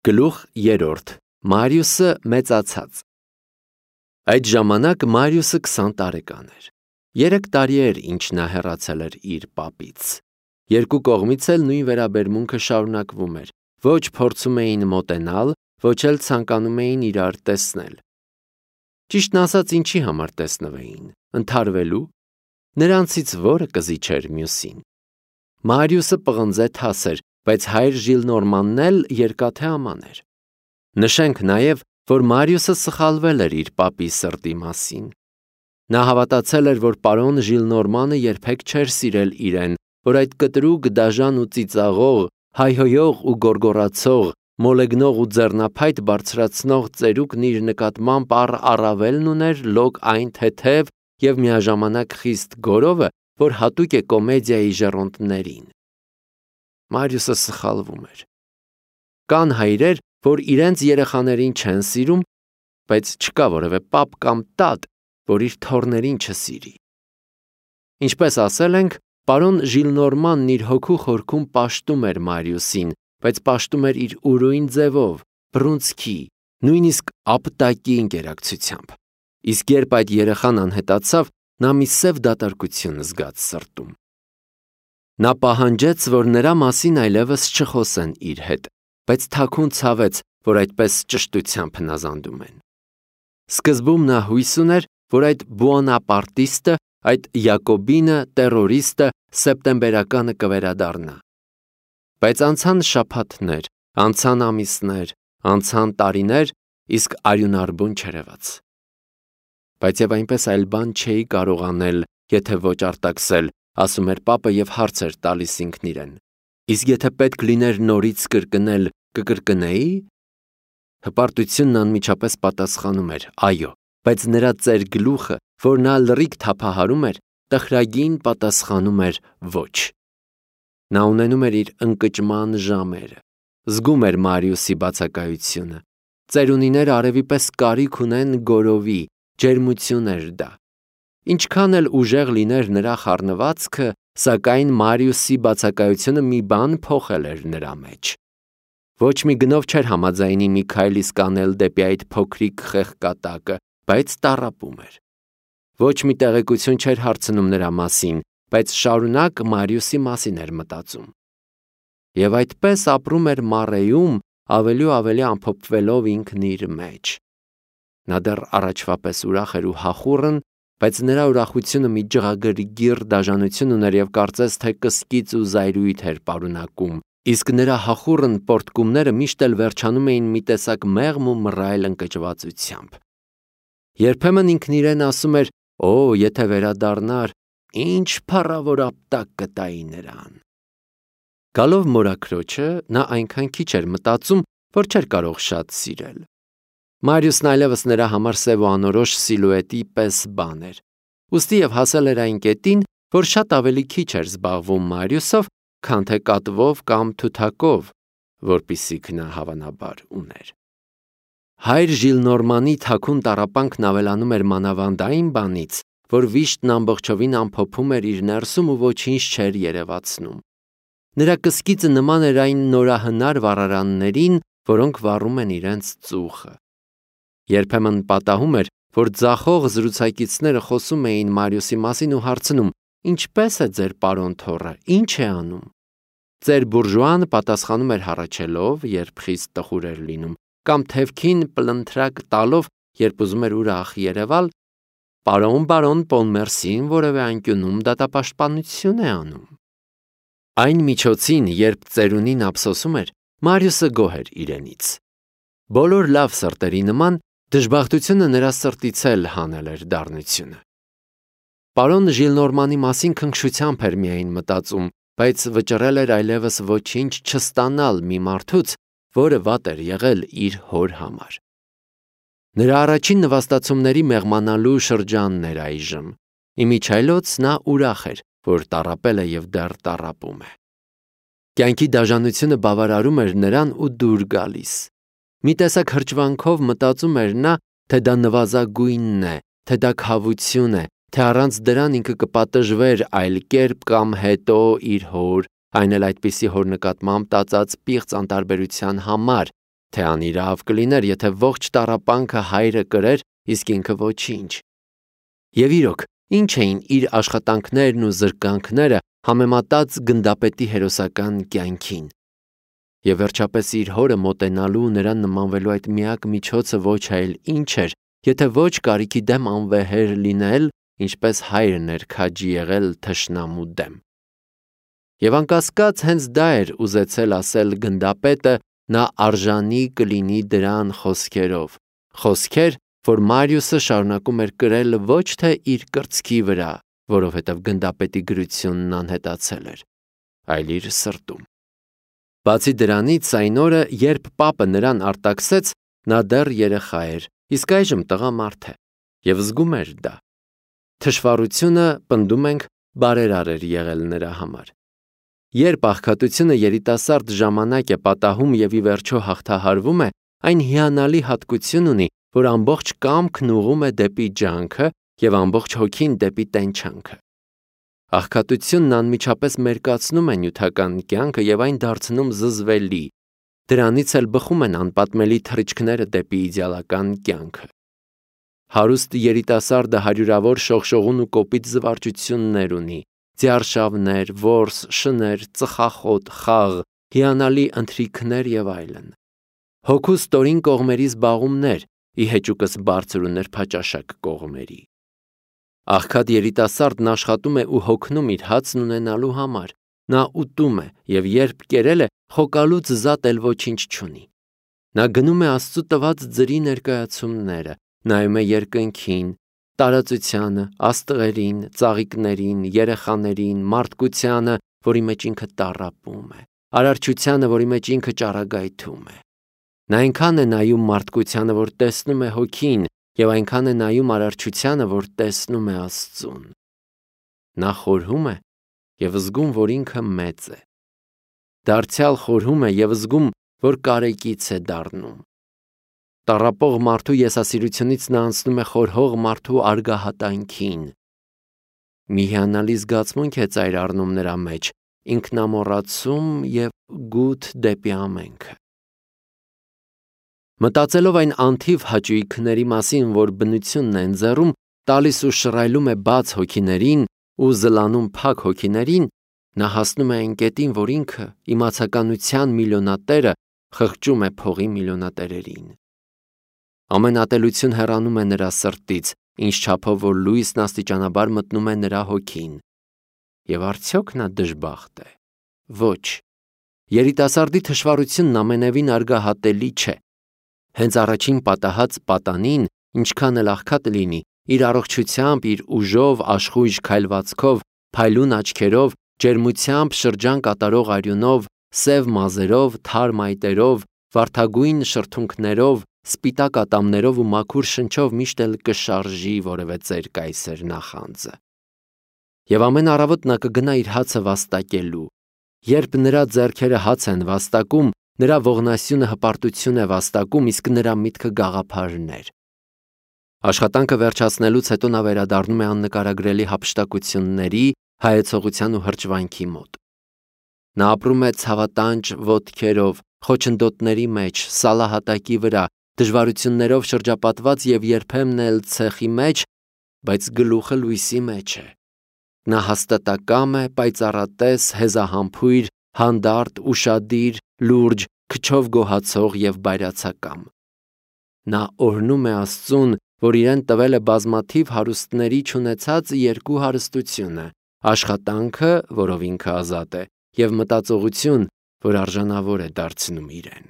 Գլուխ 3. Մարիուսը մեծացած։ Այդ ժամանակ Մարիուսը 20 տարեկան էր։ 3 տարի էր, ինչ նա հեռացել էր իր պապից։ Երկու կողմից էլ նույն վերաբերմունքը շարունակվում էր։ Ոչ փորձում էին մոտենալ, ոչ էլ ցանկանում էին իրար տեսնել։ Ճիշտն ասած, ինչի համար տեսնվեին, ընդհարվելու, նրանցից որը կզիջեր մյուսին։ Մարիուսը պղնձե թաս էր, բայց հայր Ժիլնորմանն էլ երկաթե աման էր։ Նշենք նաև, որ Մարիուսը սխալվել էր իր պապի սրտի մասին։ Նա հավատացել էր, որ պարոն Ժիլնորմանը երբեք չէր սիրել իրեն, որ այդ կտրուկ, դաժան ու ծիծաղող, հայհոյող ու գոռգոռացող, մոլեգնող ու ձեռնափայտ բարձրացնող ծերուկն իր նկատմամբ առավելն ուներ լոկ այն թեթև և միաժամանակ խիստ գորովը, որ հատուկ է կոմեդիայի ժառոնդներին։ Մարիուսը սխալվում էր։ Կան հայրեր, որ իրենց երեխաներին չեն սիրում, բայց չկա որևէ պապ կամ տատ, որ իր թոռներին չսիրի։ Ինչպես ասել ենք, պարոն Ժիլնորմանն իր հոգու խորքում պաշտում էր Մարիուսին, բայց պաշտում էր իր ուրույն ձևով, բռունցքի, նույնիսկ ապտակի ընկերակցությամբ։ Իսկ երբ այդ երեխան անհետացավ, նա մի սև դատարկություն զգաց սրտում։ Նա պահանջեց, որ նրա մասին այլևս չխոսեն իր հետ, բայց թաքուն ցավեց, որ այդպես ճշտությամբ հնազանդում են։ Սկզբում նա հույս ուներ, որ այդ բուոնապարտիստը, այդ յակոբինը, տերորիստը սեպտեմբերականը կվերադառնա։ Բայց անցան շաբաթներ, անցան ամիսներ, անցան տարիներ, իսկ արյունարբուն չերևաց։ Բայց եւ այնպես այլ բան չէի կարող անել, եթե ոչ արտաքսել, ասում էր պապը եւ հարց էր տալիս ինքն իրեն։ Իսկ եթե պետք լիներ նորից կրկնել, կկրկնեի՞։ Հպարտությունն անմիջապես պատասխանում էր՝ այո, բայց նրա ծեր գլուխը, որ նա լրիվ թափահարում էր, տխրագին պատասխանում էր ոչ։ Նա ունենում էր իր ընկճման ժամերը, զգում էր Մարիուսի բացակայությունը։ Ծերունիները արևի պես կարիք ունեն գորովի, ջերմություն էր դա։ Ինչքան էլ ուժեղ լիներ նրա խառնվածքը, սակայն Մարիուսի բացակայությունը մի բան փոխել էր նրա մեջ։ Ոչ մի գնով չէր համաձայնի մի քայլ իսկ անել դեպի այդ փոքրիկ խեղկատակը, բայց տառապում էր։ Ոչ մի տեղեկություն չէր հարցնում նրա մասին, բայց շարունակ Մարիուսի մասին էր մտածում։ Եվ այդպես ապրում էր մառեյում, ավելի ու ավելի ամփոփվելով ինքն իր մեջ։ Նա դեռ առաջվա պես ուրախ էր ու հախուռն, բայց նրա ուրախությունը մի ջղագրգիռ դաժանություն ուներ և կարծես թե կսկիծ ու զայրույթ էր պարունակում, իսկ նրա հախուռն պոռթկումները միշտ էլ վերջանում էին մի տեսակ մեղմ ու մռայլ ընկճվածությամբ։ Երբեմն ինքն իրեն ասում էր. «Օ, եթե վերադառնար, ինչ փառավոր ապտակ կտայի նրան»։ Գալով մորաքրոջը, նա այնքան քիչ էր մտածում, որ չէր կարող շատ սիրել։ Մարիուսն այլևս նրա համար սև ու անորոշ սիլուետի պես բան էր։ Ուստի և հասել էր այն կետին, որ շատ ավելի քիչ էր զբաղվում Մարիուսով, քան թե կատվով կամ թութակով, որպիսիք նա հավանաբար ուներ։ Հայր Ժիլնորմանի թաքուն տառապանքն ավելանում էր մանավանդ այն բանից, որ վիշտն ամբողջովին ամփոփում էր իր ներսում ու ոչինչ չէր երևացնում։ Նրա կսկիծը նման էր այն նորահնար վառարաններին, որոնք վառում են իրենց ծուխը։ Երբեմն պատահում էր, որ ձախող զրուցակիցները խոսում էին Մարիուսի մասին ու հարցնում. «Ինչպե՞ս է ձեր պարոն թոռը, ինչ է անում»։ Ծեր բուրժուան պատասխանում էր հառաչելով, երբ խիստ տխուր էր լինում, կամ թևքին պլնթրակ տալով, երբ ուզում էր ուրախ երևալ. «Պարոն Պոնմերսին որևէ անկյունում դատապաշտպանություն է անում»։ Այն միջոցին, երբ ծերունին ափսոսում էր, Մարիուսը գոհ էր իրենից։ Բոլոր լավ սրտերի նման, դժբախտությունը նրա սրտից էլ հանել էր դառնությունը։ Պարոն Ժիլնորմանի մասին քնքշությամբ էր միայն մտածում, բայց վճռել էր այլևս ոչինչ չստանալ մի մարդուց, որը վատ էր եղել իր հոր համար։ Նրա առաջին նվաստացումների մեղմանալու շրջանն էր այժմ։ Իմիջիայլոց նա ուրախ էր, որ տառապել է և դեռ տառապում է։ Կյանքի դաժանությունը բավարարում էր նրան ու դուր գալիս։ Մի տեսակ հրճվանքով մտածում էր նա, թե դա նվազագույնն է, թե դա քավություն է, թե առանց դրան ինքը կպատժվեր այլ կերպ կամ հետո իր հոր, այն էլ այդպիսի հոր նկատմամբ տածած պիղծ անտարբերության համար, թե անիրավ կլիներ, եթե ողջ տառապանքը հայրը կրեր, իսկ ինքը ոչինչ։ Եվ իրոք, ինչ էին իր աշխատանքներն ու զրկանքները համեմատած գնդապետի հերոսական կյանքին։ Եվ վերջապես իր հորը մոտենալու ու նրան նմանվելու այդ միակ միջոցը ոչ այլ ինչ էր, եթե ոչ կարիքի դեմ անվեհեր լինել, ինչպես հայրն էր քաջի եղել թշնամու դեմ։ Եվ անկասկած հենց դա էր ուզեցել ասել գնդապետը, նա արժանի կլինի դրան խոսքերով, խոսքեր, որ Մարիուսը շարունակում էր կրել ոչ թե իր կրծքի վրա, որովհետև գնդապետի գրությունն անհետացել էր, այլ իր սրտում։ Բացի դրանից, այն օրը, երբ պապը նրան արտաքսեց, նա դեռ երեխա էր, իսկ այժմ տղամարդ է, և զգում էր դա։ Թշվառությունը, պնդում ենք, բարերար էր եղել նրա համար։ Երբ աղքատությունը երիտասարդ ժամանակ է պատահում և ի վերջո հաղթահարվում է, այն հիանալի հատկություն ունի, որ ամբողջ կամքն ուղղում է դեպի ջանքը և ամբողջ հոգին դեպի տենչանքը։ Աղքատությունն անմիջապես մերկացնում է նյութական կյանքը և այն դարձնում զզվելի, դրանից էլ բխում են անպատմելի թռիչքները դեպի իդեալական կյանքը։ Հարուստ երիտասարդը հարյուրավոր շողշողուն ու կոպիտ զվարճություններ ունի, ձիարշավներ, որս, շներ, ծխախոտ, խաղ, հիանալի ընթրիքներ և այլն։ Հոգու ստորին կողմերի զբաղումներ, ի հեճուկս բարձր ու նրբաճաշակ կողմերի։ Աղքատ երիտասարդն աշխատում է ու հոգնում իր հացն ունենալու համար, նա ուտում է և երբ կերել է, խոկալուց զատ էլ ոչինչ չունի։ Նա գնում է Աստծու տված ձրի ներկայացումները, նայում է երկնքին, տարածությանը, աստղերին, ծաղիկներին, երեխաներին, մարդկությանը, որի մեջ ինքը տառապում է, արարչությանը, որի մեջ ինքը ճառագայթում է։ Նա այնքան է նայում մարդկությանը, որ տեսնում է հոգին, և այնքան է նայում արարչությանը, որ տեսնում է Աստծուն։ Նա խորհում է և զգում, որ ինքը մեծ է։ Դարձյալ խորհում է և զգում, որ կարեկից է դառնում։ Տառապող մարդու եսասիրությունից նա անցնում է խորհող մարդու արգահատանքին։ Մի հիանալի զգացմունք է ծայր առնում նրա մեջ, ինքնամոռացում և գութ դեպի ամենքը։ Մտածելով այն անթիվ հաճույքների մասին, որ բնությունն է ընձեռում, տալիս ու շռայլում է բաց հոգիներին ու զլանում փակ հոգիներին, նա հասնում է այն կետին, որ ինքը, իմացականության միլիոնատերը, խղճում է փողի միլիոնատերերին։ Ամեն ատելություն հեռանում է նրա սրտից, ինչ չափով որ լույսն աստիճանաբար մտնում է նրա հոգին։ Եվ արդյոք նա դժբախտ է։ Ոչ։ Երիտասարդի թշվառությունն ամենևին արգահատելի չէ։ Հենց առաջին պատահած պատանին, ինչքան էլ աղքատ լինի, իր առողջությամբ, իր ուժով, աշխույժ քայլվածքով, փայլուն աչքերով, ջերմությամբ շրջան կատարող արյունով, սև մազերով, թարմ այտերով, վարդագույն շրթունքներով, սպիտակ ատամներով ու մաքուր շնչով միշտ էլ կշարժի որևէ ծեր կայսեր նախանձը։ Եվ ամեն առավոտ նա կգնա իր հացը վաստակելու։ Երբ նրա ձեռքերը հաց են վաստակում, նրա ողնասյունը հպարտություն է վաստակում, իսկ նրա միտքը գաղափարներ։ Աշխատանքը վերջացնելուց հետո նա վերադառնում է աննկարագրելի հափշտակությունների, հայեցողության ու հրճվանքի մոտ։ Նա ապրում է ցավատանջ ոտքերով, խոչընդոտների մեջ, սալահատակի վրա, դժվարություններով շրջապատված և երբեմն էլ ցեխի մեջ, բայց գլուխը լույսի մեջ է։ Նա հաստատակամ է, պայծառատես, հեզահամբույր, հանդարտ, ուշադիր, լուրջ, քչով գոհացող և բայրացակամ։ Նա օրհնում է Աստծուն, որ իրեն տվել է բազմաթիվ հարուստների չունեցած երկու հարստությունը՝ աշխատանքը, որով ինքը ազատ է, և մտածողություն, որ արժանավոր է դարձնում իրեն։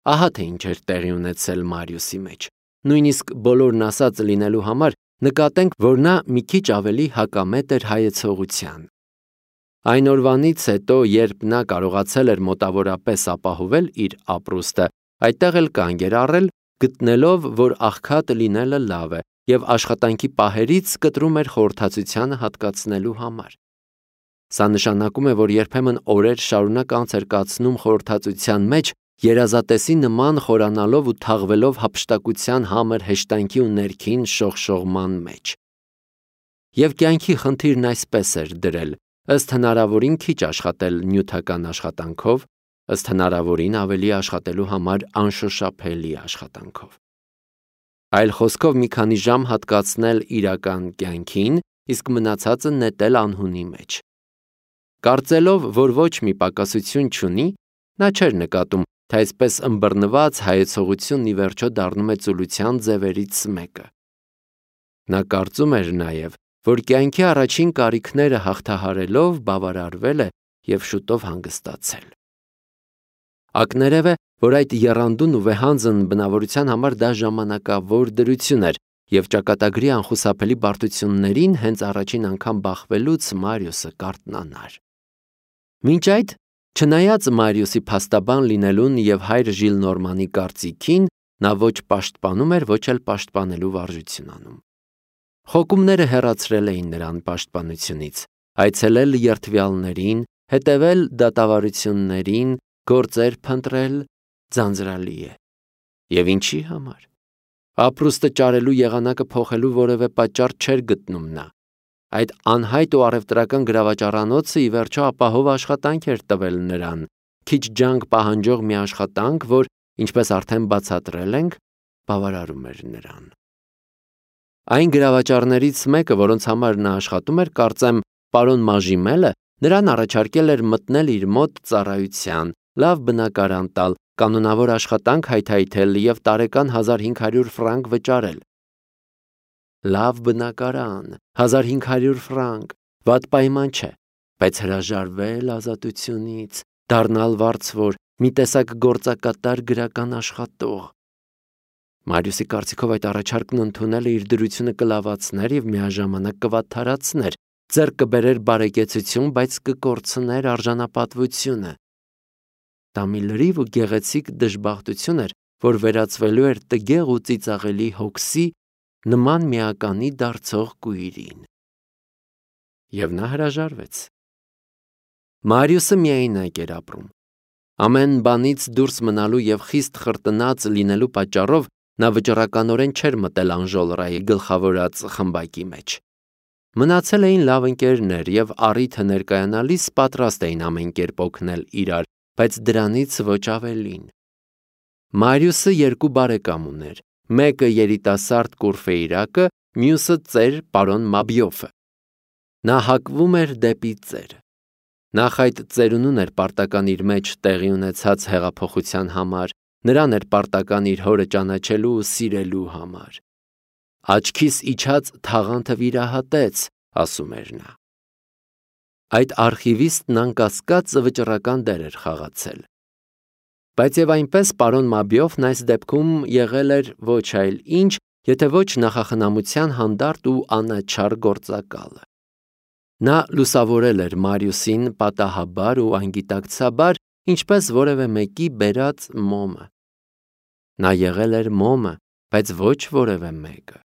Ահա թե ինչ էր տեղի ունեցել Մարիուսի մեջ։ Նույնիսկ բոլորն ասած լինելու համար նկատենք, որ նա մի քիչ ավելի հակամետ էր հայեցողության։ Այն օրվանից հետո, երբ նա կարողացել էր մոտավորապես ապահովել իր ապրուստը, այդտեղ էլ կանգ էր առել, գտնելով, որ աղքատ լինելը լավ է, և աշխատանքի պահերից կտրում էր խորհրդածությանը հատկացնելու համար։ Սա նշանակում է, որ երբեմն օրեր շարունակ անց էր կացնում խորհրդածության մեջ, երազատեսի նման խորանալով ու թաղվելով հափշտակության համր հեշտանքի ու ներքին շողշողման մեջ։ Եվ կյանքի խնդիրն այսպես էր դրել, ըստ հնարավորին քիչ աշխատել նյութական աշխատանքով, ըստ հնարավորին ավելի աշխատելու համար անշոշափելի աշխատանքով։ Այլ խոսքով մի քանի ժամ հատկացնել իրական կյանքին, իսկ մնացածը նետել անհունի մեջ։ Կարծելով, որ ոչ մի պակասություն չունի, նա չէր նկատում, թե այսպես ըմբռնված հայեցողությունն ի վերջո դառնում է ծուլության ձևերից մեկը։ Նա կարծում էր նաև, որ կյանքի առաջին կարիքները հաղթահարելով բավարարվել է և շուտով հանգստացել։ Ակներևէ, որ այդ եռանդուն ու վեհանձն բնավորության համար դա ժամանակավոր դրություն էր, և ճակատագրի անխուսափելի բարդություններին հենց առաջին անգամ բախվելուց Մարիուսը կարթնանար։ Մինչ այդ, չնայած Մարիուսի փաստաբան լինելուն և հայր Ժիլնորմանի կարծիքին, նա ոչ պաշտպանում էր, ոչ էլ պաշտպանելու վարժություն անում։ Խոկումները հեռացրել էին նրան պաշտպանությունից, այցելել երդվյալներին, հետևել դատավարություններին, գործեր փնտրել ձանձրալի է։ Եվ ինչի համար։ Ապրուստը ճարելու եղանակը փոխելու որևէ պատճառ չէր գտնում նա։ Այդ անհայտ ու առևտրական գրավաճառանոցը ի վերջո ապահով աշխատանք էր տվել նրան, քիչ ջանք պահանջող մի աշխատանք, որ, ինչպես արդեն բացատրել ենք, բավարարում էր նրան։ Այն գրավաճառներից մեկը, որոնց համար նա աշխատում էր, կարծեմ, պարոն Մաժիմելը, նրան առաջարկել էր մտնել իր մոտ ծառայության, լավ բնակարան տալ, կանոնավոր աշխատանք հայթայթել և տարեկան 1500 ֆրանկ վճարել։ Լավ բնակարան, 1500 ֆրանկ, վատ պայման չէ, բայց հրաժարվել ազատությունից, դառնալ վարձվոր, մի տեսակ գործակատար գրական աշխատող։ Մարիուսի կարծիքով այդ առաջարկն ընդունելը իր դրությունը կլավացներ և միաժամանակ կվատթարացներ, ձեռք կբերեր բարեկեցություն, բայց կկորցներ արժանապատվությունը։ Դա մի լրիվ ու գեղեցիկ դժբախտություն էր, որ վերածվելու էր տգեղ ու ծիծաղելի հոգսի նման միականի դարձող կույրին։ Եվ նա հրաժարվեց։ Մարիուսը միայնակ էր ապրում։ Ամեն բանից դուրս մնալու և խիստ խրտնած լինելու պատճառով նա վճռականորեն չէր մտել Անժոլրայի գլխավորած խմբակի մեջ։ Մնացել էին լավ ընկերներ և առիթը ներկայանալիս պատրաստ էին ամեն կերպ օգնել իրար, բայց դրանից ոչ ավելին։ Մարիուսը երկու բարեկամ ուներ, մեկը երիտասարդ Կուրֆեյրակը, մյուսը ծեր պարոն Մաբիոֆը։ Նա հակվում էր դեպի ծեր։ Նախ այդ ծերունուն էր պարտական իր մեջ տեղի ունեցած հեղափոխության համար, նրան էր պարտական իր հորը ճանաչելու ու սիրելու համար։ Աչքիս իջած թաղանթը վիրահատեց, ասում էր նա։ Այդ արխիվիստն անկասկած վճռական դեր էր խաղացել։ Բայց և այնպես պարոն Մաբիոֆն այս դեպքում եղել էր ոչ այլ ինչ, եթե ոչ նախախնամության հանդարտ ու անաչառ գործակալը։ Նա լուսավորել էր Մարիուսին պատահաբար ու անգիտակցաբար, ինչպես որևէ մեկի բերած մոմը։ Նա եղել էր մոմը, բայց ոչ որևէ մեկը։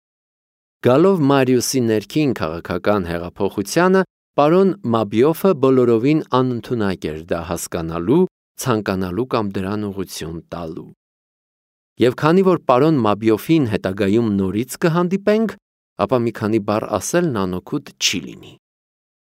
Գալով Մարիուսի ներքին քաղաքական հեղափոխությանը, պարոն Մաբիոֆը բոլորովին անընդունակ էր դա հասկանալու, ցանկանալու կամ դրան ուղղություն տալու։ Եվ քանի որ պարոն Մաբիոֆին հետագայում նորից կհանդիպենք, ապա մի քանի բառ ասելն անօգուտ չի լինի։